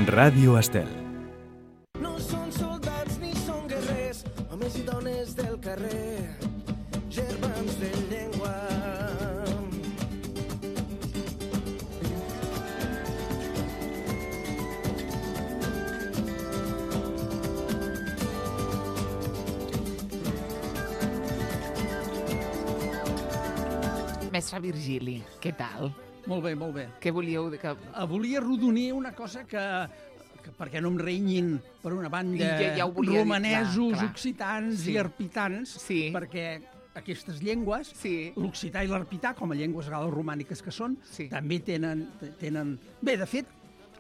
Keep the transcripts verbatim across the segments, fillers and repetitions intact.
Ràdio Estel. No són soldats ni són guerrers, homes i dones del carrer, germans de llengua. Mestre Virgili, què tal? Molt bé, molt bé. Què volíeu? Que... Volia rodonir una cosa que, que perquè no em renyin, per una banda, ja, ja volia romanesos, dir, clar, clar. occitans Sí. i arpitans, Sí. perquè aquestes llengües, Sí. l'occità i l'arpità, com a llengües gal·loromàniques que són, Sí. també tenen, tenen... Bé, de fet,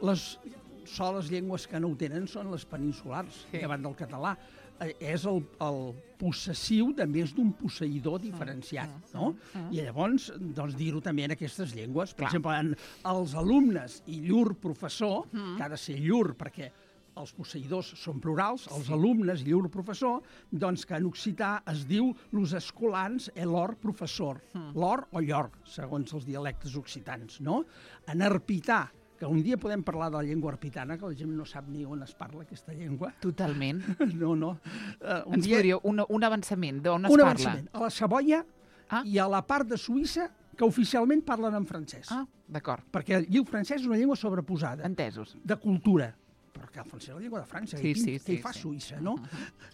les soles llengües que no ho tenen són les peninsulars, Sí. davant del català. Eh, és el, el possessiu de més d'un posseïdor diferenciat, no? I llavors, doncs, dir-ho també en aquestes llengües. Per Clar. exemple, en els alumnes i llur professor, que ha de ser llur perquè els posseïdors són plurals, els alumnes i llur professor, doncs que en occità es diu los escolans e l'or professor, l'or o llor, segons els dialectes occitans, no? En arpità, que un dia podem parlar de la llengua arpitana, que la gent no sap ni on es parla aquesta llengua. Totalment. No, no. Uh, un Ens dia, podríeu... Un, un avançament, d'on es un parla? avançament. A la Savoia Ah. i a la part de Suïssa que oficialment parlen en francès. Ah, d'acord. Perquè el francès és una llengua sobreposada, Entesos. de cultura. Perquè el francès és la llengua de França. Sí, i sí, què sí, hi fa sí. Suïssa, no?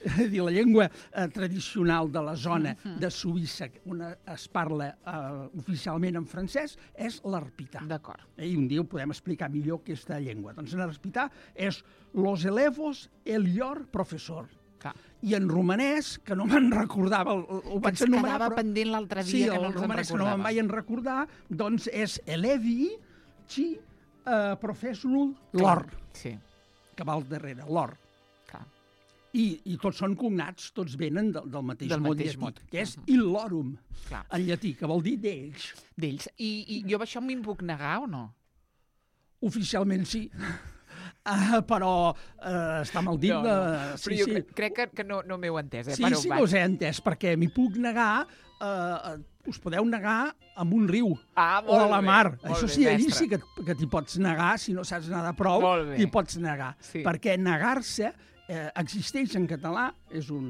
És a dir, la llengua eh, tradicional de la zona de Suïssa, on es parla eh, oficialment en francès, és l'arpità. D'acord. I un dia ho podem explicar millor aquesta llengua. Doncs en arpità és los elevos el llor professor. Clar. I en romanès, que no me'n recordava, el, el, ho Que vaig ens anomenar, quedava però... pendent l'altre Sí, dia, que el no ens en romanès que no me'n recordava. vaig recordar, doncs és elevi ci uh, professional Clar. l'or, Sí, que va al darrere, l'or. clar. I, I tots són cognats, tots venen del, del mateix Del mot mateix llatí, mot. que és illorum, Clar. en llatí, que vol dir d'ells. D'ells. I, I jo amb això m'hi puc negar o no? Oficialment sí, uh, però uh, està mal dit. No, no. De... Però jo crec, crec que, que no, no m'heu entès, eh? Sí, Per on sí vaig? que us he entès, perquè m'hi puc negar, eh, us podeu negar amb un riu Ah, o molt a la bé, mar. molt Això bé, sí, allí mestre. sí que, que t'hi pots negar, si no saps nedar prou, Molt bé. t'hi pots negar. Sí. Perquè negar-se eh, existeix en català, és un,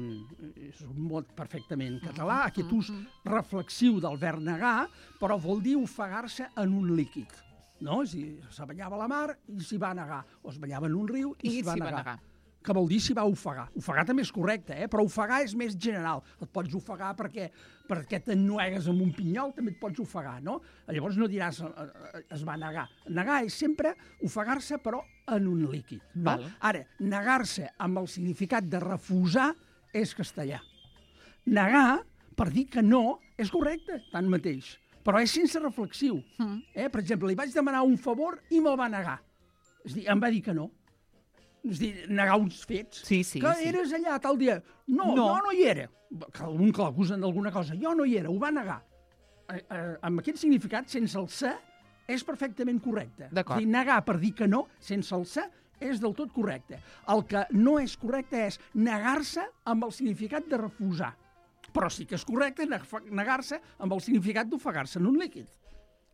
és un mot perfectament català, aquest ús reflexiu del verb negar, però vol dir ofegar-se en un líquid. No? És a dir, se banyava a la mar i s'hi va negar, o es banyava en un riu i, I s'hi va s'hi va negar. negar. Que vol dir s'hi va ofegar. Ofegar també és correcte, eh? Però ofegar és més general. Et pots ofegar perquè, perquè t'ennuegues amb un pinyol, també et pots ofegar, no? Llavors no diràs eh, eh, es va negar. Negar és sempre ofegar-se, però en un líquid. No? Val. Ara, negar-se amb el significat de refusar és castellà. Negar, per dir que no, és correcte, tanmateix. Però és sense reflexiu. Mm. Eh? Per exemple, li vaig demanar un favor i me'l va negar. És a dir, em va dir que no. És a dir, negar uns fets. Sí, sí, que sí. eres allà tal dia. No, No. jo no hi era. Que algun que l'acusen d'alguna cosa. Jo no hi era, ho va negar. Eh, eh, amb aquest significat, sense el ser, és perfectament correcte. D'acord. És a dir, negar per dir que no, sense el ser, és del tot correcte. El que no és correcte és negar-se amb el significat de refusar. Però sí que és correcte negar-se amb el significat d'ofegar-se en un líquid.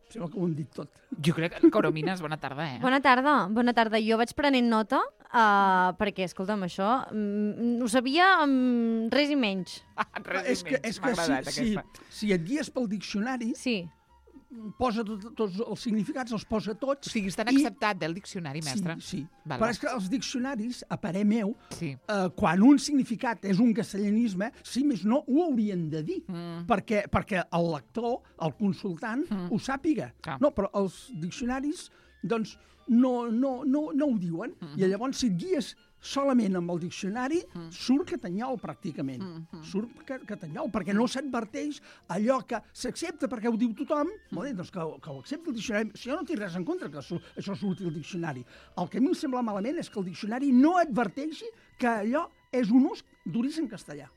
Sembla que ho hem dit tot. Jo crec que, Coromines, bona tarda, eh? Bona tarda, bona tarda. Jo vaig prenent nota uh, perquè, escolta'm, això mm, ho sabia amb res i menys. Res és i que, menys, és m'ha que agradat si, si, aquesta. si et guies pel diccionari, Sí. posa tot, tots els significats, els posa tots. O sigui, estan i- acceptat del diccionari, mestre? Sí, sí. Val, Però val. és que els diccionaris, a parer meu, Sí. eh, quan un significat és un castellanisme, si més no, ho haurien de dir, Mm. perquè, perquè el lector, el consultant, ho sàpiga. Clar. No, però els diccionaris, doncs, no, no, no, no ho diuen. Mm-hmm. I llavors, si et guies solament amb el diccionari, Mm. surt catanyol, pràcticament. Mm-hmm. Surt ca- catanyol, perquè no s'adverteix allò que s'accepta perquè ho diu tothom, Mm. molt bé, doncs que, que ho accepti el diccionari. Si jo no tinc res en contra que su- això surti al diccionari. El que a mi em sembla malament és que el diccionari no adverteixi que allò és un ús d'origen castellà.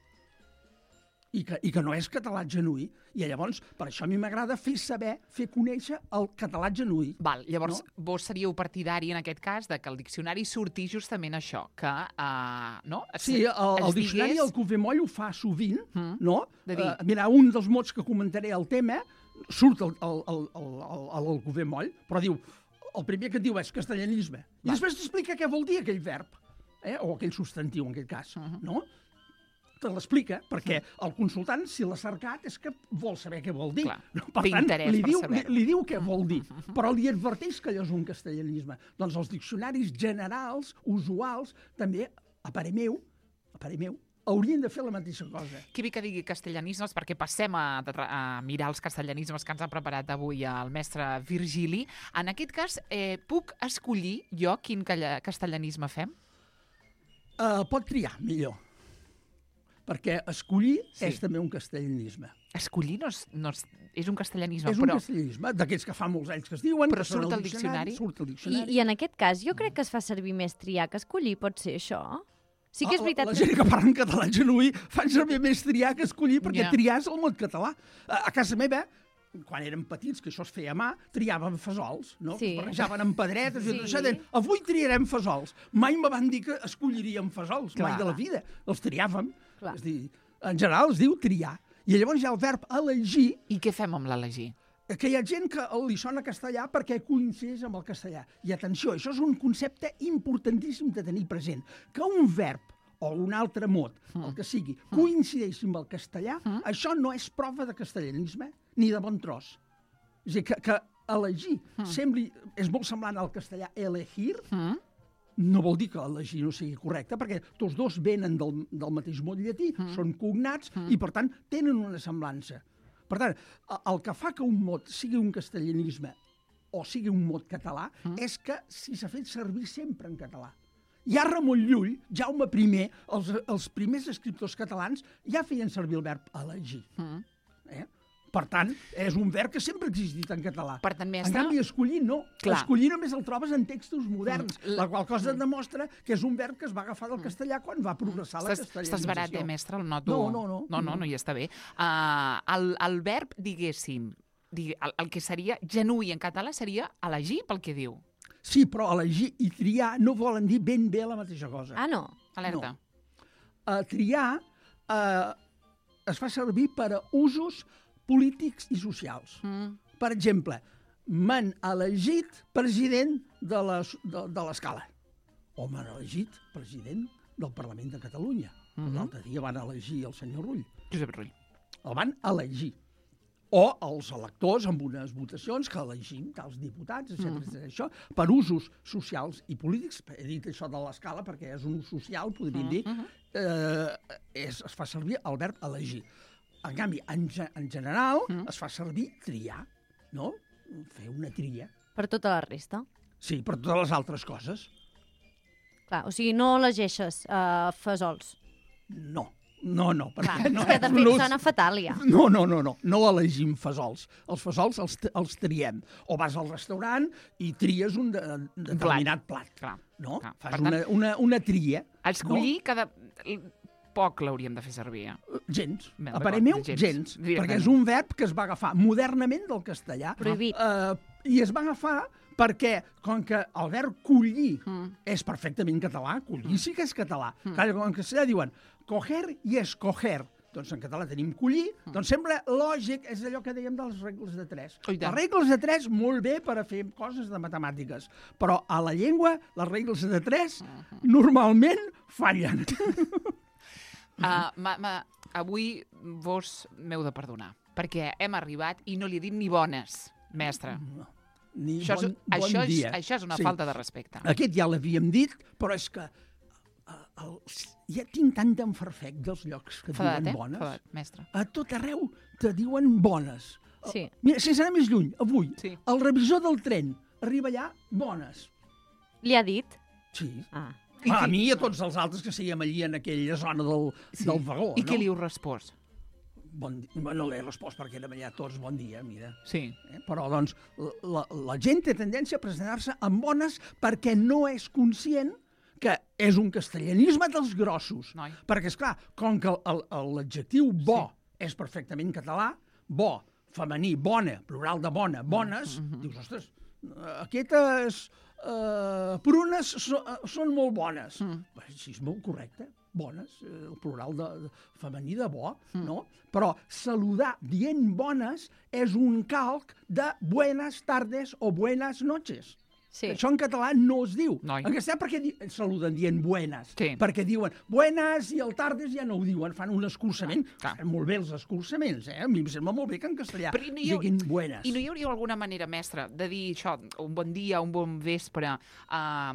I que, I que no és català genuí. I llavors, per això a mi m'agrada fer saber, fer conèixer el català genuí. Val, llavors No? vos seríeu partidari en aquest cas de que el diccionari surti justament això, que uh, no? Es, Sí, el, el es diccionari, digués- el Cufemoll ho fa sovint, Mm. no? De dir. Eh, mira, un dels mots que comentaré al tema surt el, el, el, el, el, el Cufemoll, però diu el primer que et diu és castellanisme. I Va. després t'explica què vol dir aquell verb, eh? o aquell substantiu, en aquest cas, Uh-huh. no? Te l'explica, perquè el consultant, si l'ha cercat, és que vol saber què vol dir. Clar, No? Per té tant, interès li per diu, li, saber-ho. li diu què vol dir, però li adverteix que allò és un castellanisme. Doncs els diccionaris generals, usuals, també, a parer meu, a parer meu, haurien de fer la mateixa cosa. Que bé que digui castellanismes, perquè passem a, a mirar els castellanismes que ens ha preparat avui el mestre Virgili. En aquest cas, eh, puc escollir jo quin calla- castellanisme fem? Uh, pot triar, millor. Perquè escollir Sí. sí. és també un castellanisme. Escollir no és, no és, és un castellanisme, és un però... castellanisme, d'aquests que fa molts anys que es diuen, Però que són surt al al diccionari? Surt al I, diccionari. I en aquest cas, jo crec que es fa servir més triar que escollir, pot ser això? Sí que és Ah, veritat La que... gent que parla en català genuí fan servir més triar que escollir, perquè Ja. triar és el mot català. A, a casa meva, quan érem petits, que això es feia a mà, triàvem fesols, no? Sí. Que es barrejaven amb pedretes i Sí. tot això. Deien, avui triarem fesols. Mai me van dir que escolliríem fesols, Clar. mai de la vida. Els triàvem. Clar. És dir, en general es diu triar. I llavors hi ha el verb elegir, I què fem amb l'elegir? que hi ha gent que li sona castellà perquè coincideix amb el castellà. I atenció, això és un concepte importantíssim de tenir present, que un verb o un altre mot, el que sigui, coincideixi amb el castellà, això no és prova de castellanisme ni de bon tros. És a dir, que, que elegir sembli, és molt semblant al castellà elegir, Mm? no vol dir que elegir no sigui correcte, perquè tots dos venen del, del mateix mot llatí, mm. són cognats mm. i, per tant, tenen una semblança. Per tant, el que fa que un mot sigui un castellanisme o sigui un mot català mm. és que si s'ha fet servir sempre en català. Ja Ramon Llull, Jaume I, els, els primers escriptors catalans ja feien servir el verb elegir. Mm. Eh? Per tant, és un verb que sempre ha existit en català. Per tant, En mestre... canvi, escollir no. Clar. Escollir només el trobes en textos moderns, Mm. la qual cosa demostra que és un verb que es va agafar del castellà quan va progressar la Estàs, castellanització. estàs barat, eh, mestre? El noto... No, no, no. No, no, no, ja està bé. Uh, el, el verb, diguéssim, digue, el, el que seria genuí en català seria elegir pel que diu. Sí, però elegir i triar no volen dir ben bé la mateixa cosa. Ah, no? Alerta. Uh, triar uh, es fa servir per a usos polítics i socials. Mm. Per exemple, m'han elegit president de les- de, de l'Escala. O m'han elegit president del Parlament de Catalunya. Mhm. L'altre dia van elegir el senyor Rull. Josep Rull. El van elegir. O els electors amb unes votacions que elegim tals diputats, etcètera, etcètera. Això per usos socials i polítics. He dit això de l'escala perquè és un ús social, podríem dir. Eh, és, es fa servir el verb elegir. En canvi, en, ge- en general, es fa servir triar, no? Fer una tria. Per tota la resta. Sí, per totes les altres coses. Clar, o sigui, no elegeixes uh, fesols. No, no, no. Clar, Perquè no és que de és un fet ús- sona fatal, ja. No, no, no, no, no elegim fesols. Els fesols els, els triem. O vas al restaurant i tries un, de, un determinat plat. Clar. No? Clar. Fas Per tant, una, una, una tria. escollir cada... Poc l'hauríem de fer servir. Eh? No? Gens. Bé, A parer d'acord, meu, gens. gens. Directament. Perquè és un verb que es va agafar modernament del castellà. Prohibit. Uh, I es va agafar perquè, com que el verb collir Mm. és perfectament català, collir sí que és català. Mm. Clar, en castellà diuen coger i escoger. Doncs en català tenim collir, Mm. doncs sembla lògic, és allò que dèiem de les regles de tres. Oh, i tant. Les regles de tres, molt bé per a fer coses de matemàtiques, però a la llengua les regles de tres Mm-hmm. normalment fallen. Uh, ma, ma, avui vos m'heu de perdonar, perquè hem arribat i no li he dit ni bones, mestre. Ni Això és, bon, bon això és, dia. això és una Sí. falta de respecte. Aquest ja l'havíem dit, però és que uh, el, ja tinc tant d'enfarfec dels llocs que Fadat, diuen eh? bones. Fadat, mestre. A tot arreu te diuen bones. Sí. Mira, sense anar més lluny, avui, Sí. el revisor del tren arriba allà, bones. Li ha dit? Sí. Ah. I A qui- mi i a tots els altres que sèiem allí en aquella zona del, Sí. del vagó, I no? què li heu respost? Bon di... No l'he respost perquè érem allà tots bon dia, mira. Sí. Eh? Però, doncs, la, la gent té tendència a presentar-se amb bones perquè no és conscient que és un castellanisme dels grossos. Noi. Perquè, és clar, com que el- el- l'adjectiu bo sí. és perfectament català, bo, femení, bona, plural de bona, bones, mm -hmm. dius, ostres, aquestes uh, prunes so, uh, són molt bones. Mm. Així és molt correcte, bones, eh, el plural de, de femení de bo, mm. no? Però saludar dient bones és un calc de buenas tardes o buenas noches. Sí. Això en català no es diu. Noi. En castellà perquè di saluden dient buenas. Sí. Perquè diuen buenas i el tardes ja no ho diuen, fan un escurçament. Clar. Fan molt bé els escurçaments, eh? A mi em sembla molt bé que en castellà Però i no hi ha- diguin buenas. I no hi hauria alguna manera, mestre, de dir això, un bon dia, un bon vespre, uh,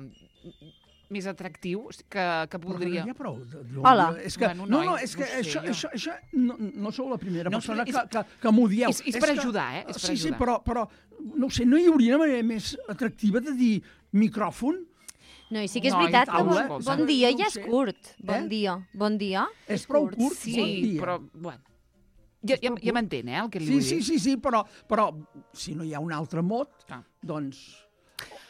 més atractiu, que, que Però podria... ja prou. de- de- Hola. És que, Bueno, no, noi, no, és que no sé, això, jo. això, això no, no sou la primera No, persona és- que, que, que m'ho dieu. és- és per que- ajudar, eh? És per sí, sí, ajudar. però, però, no ho sé, no hi hauria una manera més atractiva de dir micròfon? No, i sí que és No, i veritat que taula, bon, escolta. bon dia No ja ho és sé. curt. Bon Eh? dia, bon dia. És prou curt, Sí, bon dia. però, bueno... Ja, ja, ja m'entén, eh, el que li Sí, vull sí, dir. sí, sí, però, però si no hi ha un altre mot, Ah. doncs...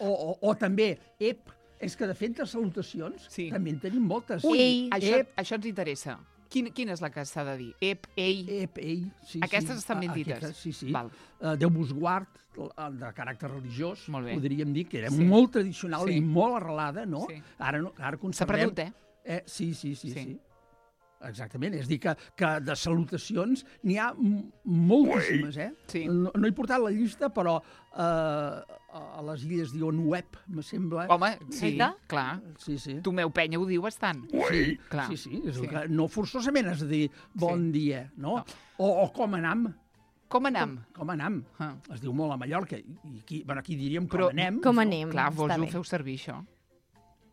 O, o, o també, ep, és que de fet de salutacions Sí. també en tenim moltes. Ui, Ei. això, Ep. això ens interessa. Quin, quina és la que s'ha de dir? Ep, ei... Ep, ei, sí, Aquestes sí. estan ben Ah, dites. aquestes, Sí, sí. Val. Uh, Déu vos guard, el de caràcter religiós, Molt bé. podríem dir que era Sí. molt tradicional Sí. i molt arrelada, no? Sí. Ara, no, ara S'ha conservem... perdut, eh? Eh, sí, sí, sí, Sí. sí, sí. Exactament, és a dir, que, que de salutacions n'hi ha m- moltíssimes, eh? Sí. No, no he portat la llista, però eh, a les illes diuen web, me sembla. Home, sí, Aita? clar. Sí, sí. Tomeu Penya ho diu bastant. Sí, clar. sí, sí, és Sí. sí. Que no forçosament has de dir bon Sí. dia, no? No. O, o com anam, Com anam? com anam. Ah. Es diu molt a Mallorca, i aquí, bueno, aquí diríem com Però- anem. Com anem? Clar, vos Està ho bé. feu servir, això.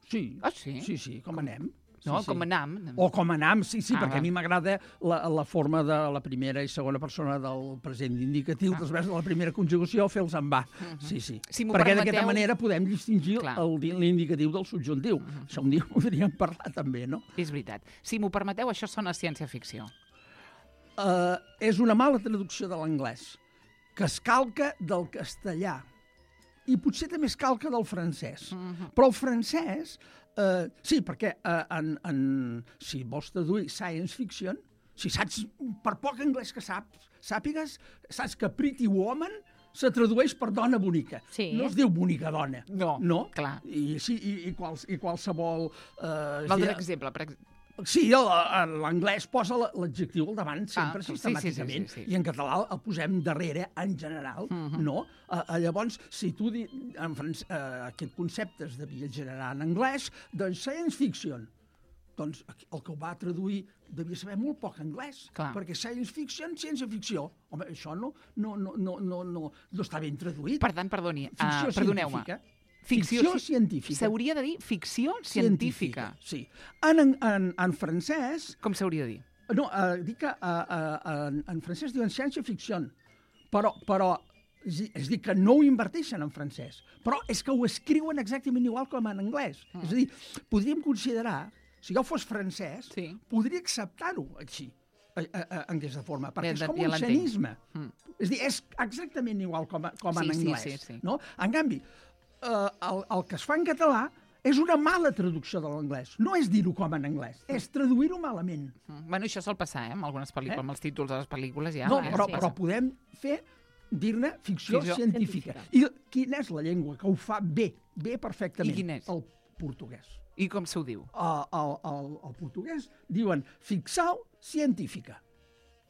Sí, Ah, sí? sí, sí, com anem. No, sí, com sí. anam. O com anam, sí, sí, Ah, perquè va. a mi m'agrada la, la forma de la primera i segona persona del present indicatiu, Ah. després de la primera conjugació, fer-los en va. Sí, sí. Si m'ho perquè permeteu- d'aquesta manera podem distingir Clar. el di- l'indicatiu del subjuntiu. Això un dia podríem parlar també, no? És veritat. Si m'ho permeteu, això sona ciència-ficció. Uh, és una mala traducció de l'anglès, que es calca del castellà. I potser també es calca del francès. Mhm. Però el francès, eh, sí, perquè eh, en, en, si vols traduir science fiction, si saps, per poc anglès que saps, sàpigues, saps que Pretty Woman se tradueix per dona bonica. Sí. No es diu bonica dona. No, no? clar. I, sí, i, i, quals, i qualsevol... Eh, Val sí, d'un exemple. Per... ex- Sí, el- el- l'anglès posa la- l'adjectiu al davant sempre, Ah, sí, sí, sistemàticament, sí, sí, sí. i en català el posem darrere en general, no? Uh, uh, llavors, si tu di, en franc, uh, aquest concepte es devia generar en anglès, doncs science fiction. Doncs aquí- el que ho va traduir devia saber molt poc anglès, Clar. perquè science fiction, ciència-ficció. Home, això no, no, no, no, no, no, no està ben traduït. Per tant, perdoni, Ficció uh, perdoneu-me. científica. Ficció, Ficció ci- científica. S'hauria de dir ficció científica. Sí. En, en, en, en francès, Com s'hauria de dir? no, uh, dic que uh, uh, en, en francès diuen ciència-ficció, però, però és, a dir- és a dir, que no ho inverteixen en francès, però és que ho escriuen exactament igual com en anglès. Mm. És a dir, podríem considerar, si jo fos francès, Sí. podria acceptar-ho així, a, a, a, en aquesta forma, perquè Ja- és com ja un l'entenc. xenisme. Mm. És a dir, és exactament igual com, a, com Sí, en sí, anglès. sí, sí. No? En canvi, eh, el, el que es fa en català és una mala traducció de l'anglès. No és dir-ho com en anglès, és traduir-ho malament. Mm. Bueno, això sol passar, eh? Amb algunes pel·lícules, Eh? amb els títols de les pel·lícules ja. no, eh? però, Passa. però podem fer dir-ne ficció, Ficció científica. I quina és la llengua que ho fa bé, bé perfectament? I quina és? El portuguès. I com se ho diu? El, el, el, el portuguès diuen ficció científica.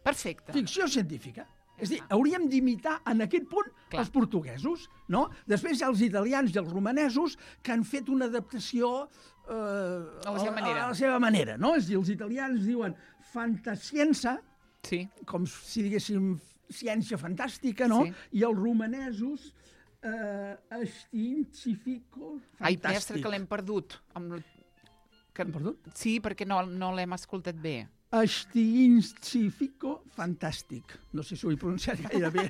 Perfecte. Ficció científica. És a dir, hauríem d'imitar en aquest punt Clar. els portuguesos, no? Després hi ha els italians i els romanesos que han fet una adaptació eh, A la seva manera. A la seva manera, no? És a dir, els italians diuen fantascienza, Sí. com si diguéssim ciència fantàstica, no? Sí. I els romanesos eh, scientifico Ai, fantàstic. mestre, que l'hem perdut. Amb... Que... Hem perdut? Sí, perquè no, no l'hem escoltat bé. Scientifico fantàstic. No sé si ho he pronunciat gaire bé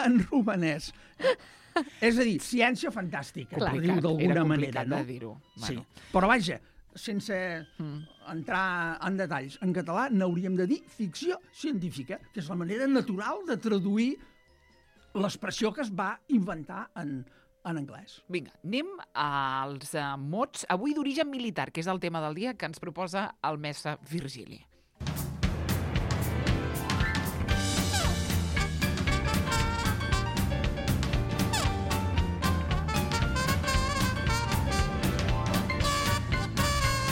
en romanès. És a dir, ciència fantàstica, Clar. per dir-ho Era d'alguna complicat manera, no? de dir-ho. Sí. Bueno. Però vaja, sense Mm. entrar en detalls, en català n'hauríem de dir ficció científica, que és la manera natural de traduir l'expressió que es va inventar en, en anglès. Vinga, anem als uh, mots, avui d'origen militar, que és el tema del dia que ens proposa el mestre Virgili.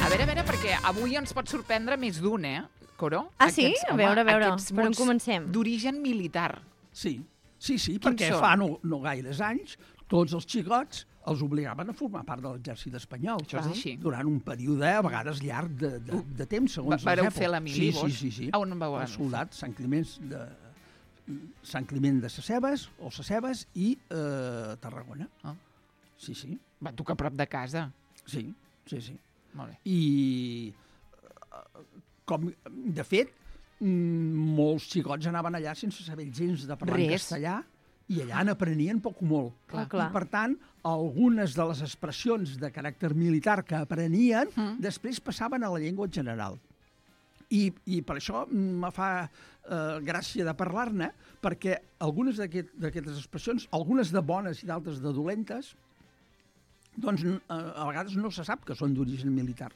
A veure, a veure, perquè avui ens pot sorprendre més d'un, eh, Coro? Ah, sí? A veure, a veure, aquests per on mots comencem? D'origen militar. Sí, Sí, sí, Quins perquè són? fa no, no gaires anys tots els xicots els obligaven a formar part de l'exèrcit espanyol. Això és així. Durant un període, a vegades llarg, de, de, de temps, segons les Vareu èpoques. fer la mili, sí, vos? Sí, sí, sí. A on vau anar? Els soldats, Sant Climent de, Sant Climent de Sescebes, o Sescebes, i eh, Tarragona. Ah. Sí, sí. Va, tu que a prop de casa. Sí, sí, sí. Molt bé. I, eh, com, de fet, mm, molts xicots anaven allà sense saber gens de parlar en Res. castellà, i allà n'aprenien poc o molt. Clar, clar. I, per tant, algunes de les expressions de caràcter militar que aprenien Mm. després passaven a la llengua general. I, i per això me fa eh, gràcia de parlar-ne, perquè algunes d'aquest- d'aquestes expressions, algunes de bones i d'altres de dolentes, doncs eh, a vegades no se sap que són d'origen militar,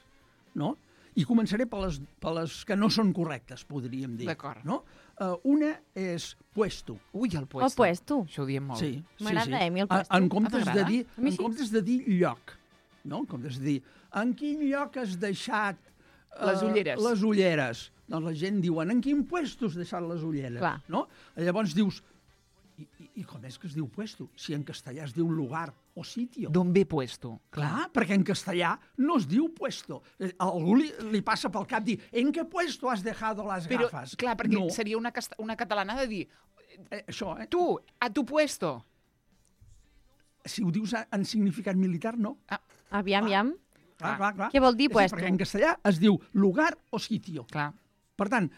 no? I començaré per les, per les que no són correctes, podríem dir. D'acord. No? Uh, una és puesto. Ui, el puesto. El puesto. Això ho diem molt. Sí, M'agrada, sí, sí. eh, a mi el A- puesto. En Ah, comptes, de t'agrada? dir, A mi en sí. comptes de dir lloc, no? En comptes de dir en quin lloc has deixat eh, Les ulleres. les ulleres? Doncs la gent diuen en quin puesto has deixat les ulleres? Clar. No? Llavors dius, i, i, i com és que es diu puesto? Si en castellà es diu lugar o sitio. D'on ve puesto? Clar, perquè en castellà no es diu puesto. Eh, A algú li, li passa pel cap dir en què puesto has dejado las Però, gafas? clar, perquè no. seria una, casta- una catalana de dir Eh, això, eh? tu, a tu puesto. Si ho dius a- en significat militar, no. Aviam, aviam. Clar, clar, clar. Què vol dir Sí, puesto? Perquè en castellà es diu lugar o sitio. Clar. Per tant,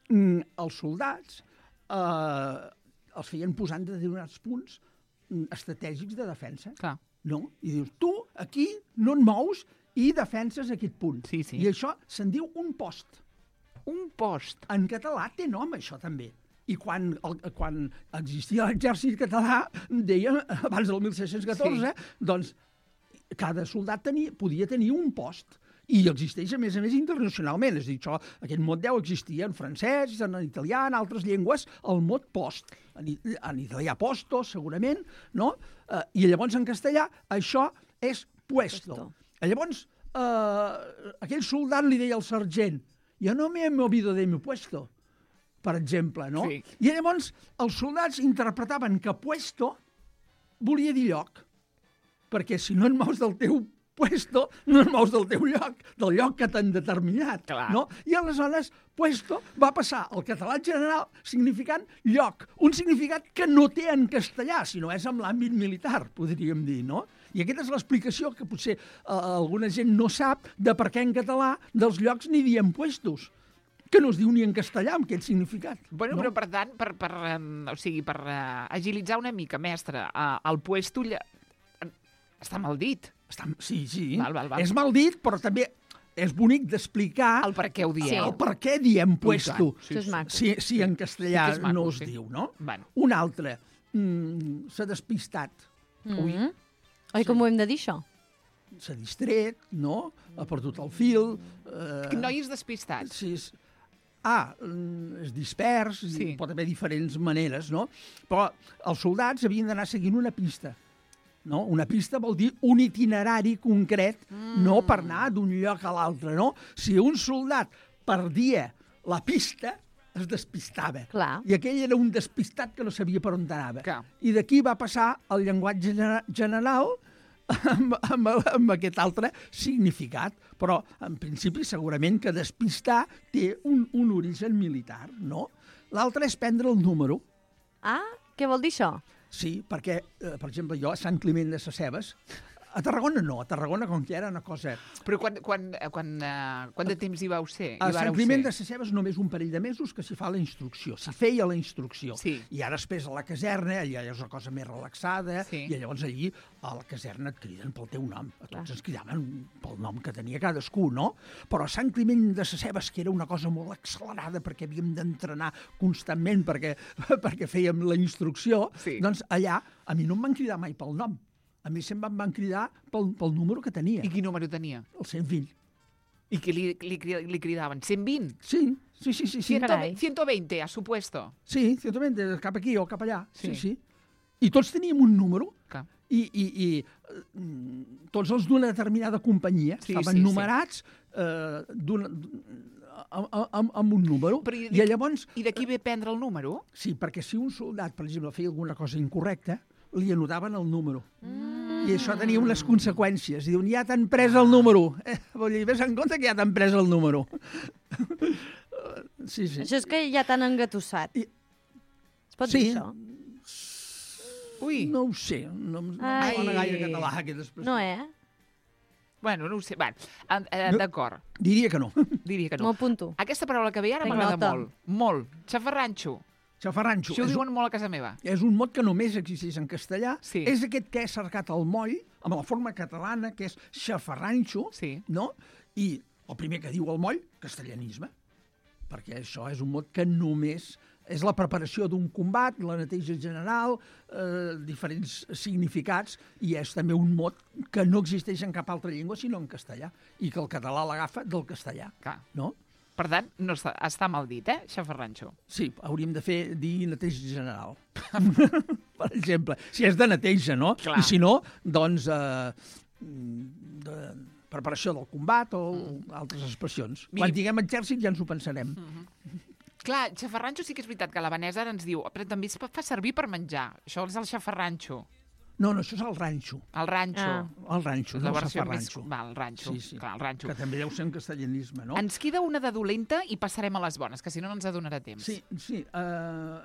mm, els soldats eh, els feien posant de determinats punts mm, estratègics de defensa. Clar. No? I dius, tu aquí no et mous i defenses aquest punt. Sí, sí. I això se'n diu un post. Un post. En català té nom, això també. I quan, el, quan existia l'exèrcit català, deia, abans del mil sis-cents catorze, sí. doncs cada soldat tenia, podia tenir un post. I existeix, a més a més, internacionalment. És a dir, això, aquest mot deu existir en francès, en italià, en altres llengües, el mot post. En, i- en italià posto, segurament, no? Eh, I llavors en castellà això és puesto. Puesto. Llavors, eh, aquell soldat li deia al sergent, jo no me he movido de mi puesto, per exemple, no? Sí. I llavors els soldats interpretaven que puesto volia dir lloc, perquè si no et mous del teu puesto, no et mous del teu lloc, del lloc que t'han determinat. Clar. No? I aleshores, puesto va passar al català general significant lloc, un significat que no té en castellà, sinó és en l'àmbit militar, podríem dir, no? I aquesta és l'explicació que potser eh, alguna gent no sap de per què en català dels llocs ni diem puestos, que no es diu ni en castellà amb aquest significat. Bueno, no? però per tant, per, per, um, o sigui, per uh, agilitzar una mica, mestre, uh, el puesto lla... està mal dit. Està, sí, sí. Val, val, val. És mal dit, però també és bonic d'explicar El per què ho dieu. Sí. el per què diem puesto. Això és maco. Si, si en castellà Sí que és maco, no es sí. diu, no? Bueno. Un altre, mm, s'ha despistat, Ui. Oi, com ho hem de dir, això? s'ha distret, no? Ha perdut el fil. Eh, Nois despistats. Sí, és... Ah, mm, és dispers, Sí. sí. Pot haver diferents maneres, no? Però els soldats havien d'anar seguint una pista. No? Una pista vol dir un itinerari concret, mm. no per anar d'un lloc a l'altre, no? Si un soldat perdia la pista, es despistava. Clar. I aquell era un despistat que no sabia per on anava. Clar. I d'aquí va passar el llenguatge gener- general amb, amb, amb aquest altre significat. Però, en principi, segurament que despistar té un, un origen militar, no? L'altre és prendre el número. Ah, què vol dir això? Sí, perquè, eh, per exemple, jo a Sant Climent de Sescebes, a Tarragona no, a Tarragona com que era una cosa... Però quan, quan, eh, quan, uh, quant de temps hi vau ser? A Hi vareu Sant Climent ser? de Sescebes només un parell de mesos que s'hi fa la instrucció, s'hi feia la instrucció. Sí. I ara després a la caserna, allà és una cosa més relaxada, Sí. i llavors allí a la caserna et criden pel teu nom. A tots ens cridaven pel nom que tenia cadascú, no? Però a Sant Climent de Sescebes, que era una cosa molt accelerada perquè havíem d'entrenar constantment perquè, perquè fèiem la instrucció, Sí. doncs allà a mi no em van cridar mai pel nom. A mi sempre em van cridar pel, pel número que tenia, I quin número tenia? el cent vint. I què li, li, cri- li cridaven? cent vint? Sí, sí, sí, sí. sí. Carai. ciento veinte, a su puesto. Sí, ciertament, cap aquí o cap allà. Sí. Sí, sí. I tots teníem un número Clar. i, i, i mm, tots els d'una determinada companyia Sí, estaven sí, sí. numerats eh, d'una- amb, amb, amb un número. Però i, I llavors... I d'aquí ve prendre el número? Sí, perquè si un soldat, per exemple, feia alguna cosa incorrecta, li anotaven el número. Mm. I això tenia unes conseqüències. Diuen, ja t'han pres el número. Eh, vol dir, ves en compte que ja t'han pres el número. Sí, sí. Això és que ja t'han engatussat. I... Es pot sí. dir això? Ui. No ho sé. No, no Ai. em sona gaire català, aquesta expressió. No, eh? Bueno, no ho sé. Va, eh, No. d'acord. Diria que no. Diria que M'ho no. apunto. Aquesta paraula que ve ara Prenc m'agrada nota. molt. Molt. Xafarranxo. Xafarranxo. Això ho És un, diuen molt a casa meva. és un mot que només existeix en castellà. Sí. És aquest que he cercat el moll, amb la forma catalana, que és xafarranxo, Sí. no? I el primer que diu el moll, castellanisme. Perquè això és un mot que només és la preparació d'un combat, la neteja general, eh, diferents significats, i és també un mot que no existeix en cap altra llengua, sinó en castellà, i que el català l'agafa del castellà, Clar. no? Per tant, no està, està mal dit, eh? Xafarranxo. Sí, hauríem de fer dir neteja general. Per exemple, si és de neteja, no? Clar. I si no, doncs, eh, de preparació del combat o mm. altres expressions. Miri- Quan diguem exèrcit ja ens ho pensarem. Mm. Clar, xafarranxo sí que és veritat que la Vanessa ara ens diu, però també es fa servir per menjar. Això és el xafarranxo. No, no, això és el ranxo. El ranxo. Ah. El ranxo, la no el versió més... safarranxo. Va, el ranxo. Sí, sí. Clar, el ranxo. Que també deu ser un castellanisme, no? Ens queda una de dolenta i passarem a les bones, que si no, no ens adonarà temps. Sí, sí. Uh,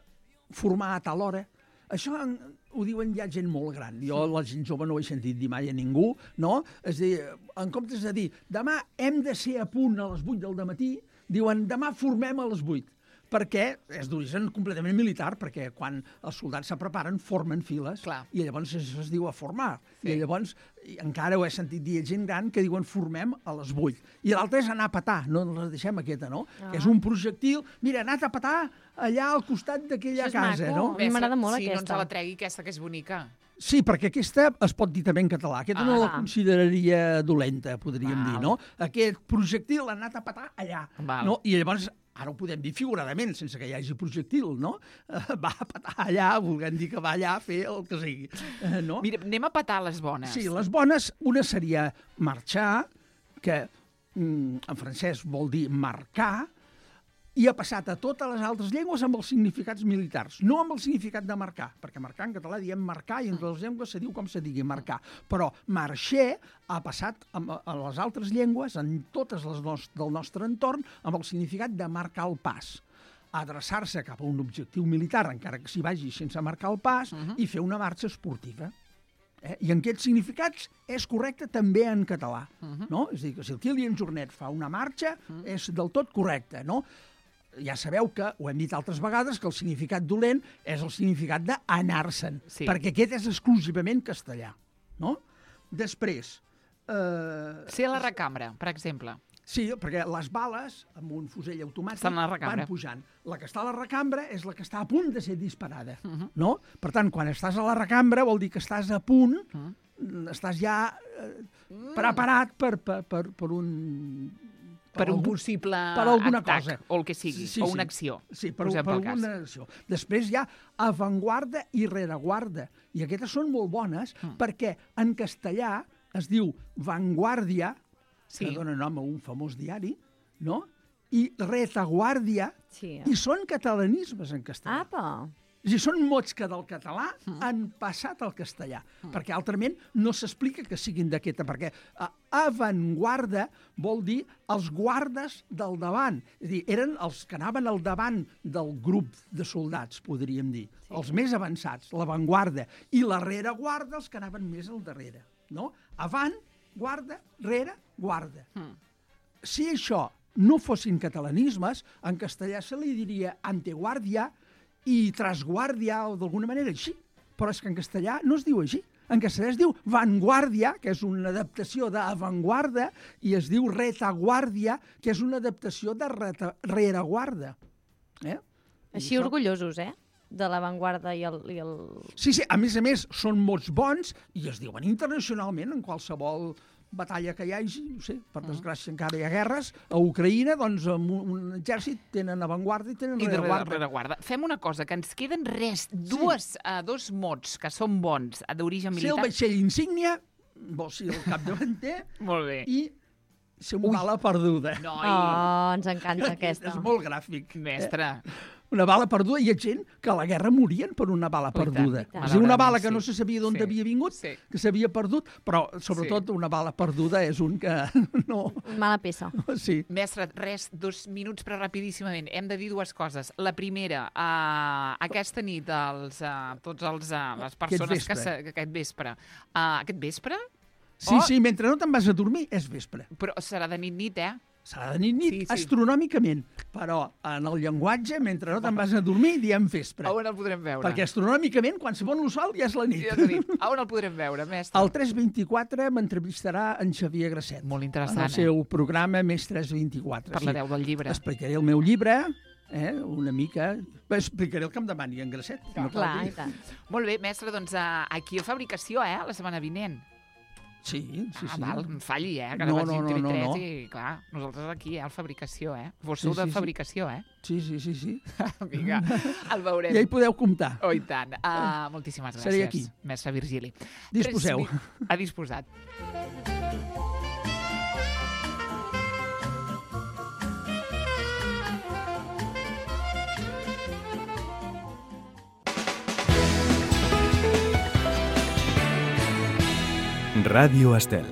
formar a tal hora. Això en, ho diuen ja gent molt gran. Jo, la gent jove, no ho he sentit dir mai a ningú, no? És a dir, en comptes de dir demà hem de ser a punt a les vuit del dematí, diuen demà formem a les vuit. Perquè és d'origen completament militar, perquè quan els soldats se preparen formen files. Clar. I llavors això es diu a formar. Sí. I llavors i encara ho he sentit dir a gent gran que diuen formem a les vuit. I l'altre és anar a petar, no la deixem aquesta, no? Ah. Que és un projectil, mira, anat a petar allà al costat d'aquella Això és casa, maco. no? A mi m'agrada molt sí, no ens aquesta. la tregui, aquesta, que és bonica. Sí, perquè aquesta es pot dir també en català. Aquesta Ah. no la consideraria dolenta, podríem Val. dir, no? Aquest projectil l'ha anat a petar allà. Val. No? I llavors, ara ho podem dir figuradament, sense que hi hagi projectil, no? Eh, va a petar allà, volent dir que va allà a fer el que sigui. Eh, no? Mira, anem a petar les bones. Sí, les bones, una seria marxar, que mm, en francès vol dir marcar, i ha passat a totes les altres llengües amb els significats militars, no amb el significat de marcar, perquè marcar en català diem marcar i en totes les llengües se diu com se digui marcar, però marxer ha passat a, a les altres llengües, en totes les nos, del nostre entorn, amb el significat de marcar el pas, adreçar-se cap a un objectiu militar, encara que s'hi vagi sense marcar el pas, uh-huh. i fer una marxa esportiva. Eh? I en aquests significats és correcte també en català. Uh-huh. No? És a dir, que si el Kilian Jornet fa una marxa, uh-huh. és del tot correcte, no? Ja sabeu que, ho hem dit altres vegades, que el significat dolent és el significat d'anar-se'n, Sí. perquè aquest és exclusivament castellà, no? Després... Eh, Ser a la recambra, per exemple. sí, perquè les bales, amb un fusell automàtic, Estan a la recambra. van pujant. La que està a la recambra és la que està a punt de ser disparada, uh-huh. no? Per tant, quan estàs a la recambra vol dir que estàs a punt, uh-huh. estàs ja eh, preparat per, per, per, per un... Per un algun- possible per alguna atac, cosa. o el que sigui, Sí, o sí. una acció. Sí, per, posem per pel cas. alguna acció. Després hi ha avantguarda i rereguarda. I aquestes són molt bones mm. perquè en castellà es diu vanguardia, Sí. que dona nom a un famós diari, no? I retaguardia, Sí. i són catalanismes en castellà. Apa! És a dir, són mots que del català mm. han passat al castellà, mm. perquè altrament no s'explica que siguin d'aquesta, perquè uh, avantguarda vol dir els guardes del davant. És a dir, eren els que anaven al davant del grup de soldats, podríem dir, sí. els més avançats, l'avantguarda, i la rereguarda, els que anaven més al darrere. No? Avant, guarda, rere, guarda. Mm. Si això no fossin catalanismes, en castellà se li diria anteguàrdia, i trasguàrdia, o d'alguna manera així. Però és que en castellà no es diu així. En castellà es diu vanguardia, que és una adaptació d'avantguarda, i es diu retaguàrdia, que és una adaptació de reta, rereguarda. Eh? Així orgullosos, eh? De l'avantguarda i el... I el... Sí, sí, a més a més, són mots bons i es diuen internacionalment en qualsevol batalla que hi hagi, no sé, per desgràcia encara hi ha guerres, a Ucraïna, doncs, amb un, un exèrcit tenen avantguarda i tenen I de rereguarda. rereguarda. Fem una cosa, que ens queden res, dues, sí. uh, dos mots que són bons, d'origen Ser el militar. vaixell insígnia, vol ser el capdavanter, Molt bé. i Ser una bala perduda. Noi, Oh, ens encanta aquesta. És molt gràfic. mestre. Una bala perduda. Hi ha gent que a la guerra morien per una bala Oh, i tant, perduda. i tant. És a dir, una bala que Sí. no se sabia d'on Sí. havia vingut, Sí. que s'havia perdut, però sobretot una bala perduda és un que no... Mala peça. Sí. Mestre, res, dos minuts, però rapidíssimament. Hem de dir dues coses. La primera, uh, aquesta nit, els, uh, tots els, uh, les persones vespre. que... Se, aquest vespre. Uh, aquest vespre? Sí, Oh. sí, mentre no te'n vas a dormir, és vespre. Però serà de nit-nit, eh? Serà de nit-nit, Sí, sí. astronòmicament. Però en el llenguatge, mentre no te'n vas a dormir, diem vespre. A on el podrem veure? Perquè astronòmicament, quan se pon el sol, ja és la nit. Ja t'ho dic. A on el podrem veure, mestre? El tres vint-i-quatre m'entrevistarà en Xavier Grasset. Molt En interessant, el seu programa Més tres vint-i-quatre. eh? Parlareu del llibre. Explicaré el meu llibre, eh, una mica... Bé, explicaré el que em demani en Grasset. No cal Clar, dir. i tant. Molt bé, mestre, doncs uh, aquí a fabricació, eh? La setmana vinent. Sí, sí, ah, sí. val, em falli, eh? Que No, no, vaig no, dir no, no, TV3 no. i, clar, nosaltres aquí, eh? Al fabricació, eh? Vos Sí, sou sí, de sí. fabricació, eh? Sí, sí, sí, sí. Vinga, el veurem. Ja hi podeu comptar. Oh, i tant. Uh, moltíssimes gràcies, Seré aquí. mestre Virgili. Disposeu. Tres mi- Ha disposat. Ràdio Estel.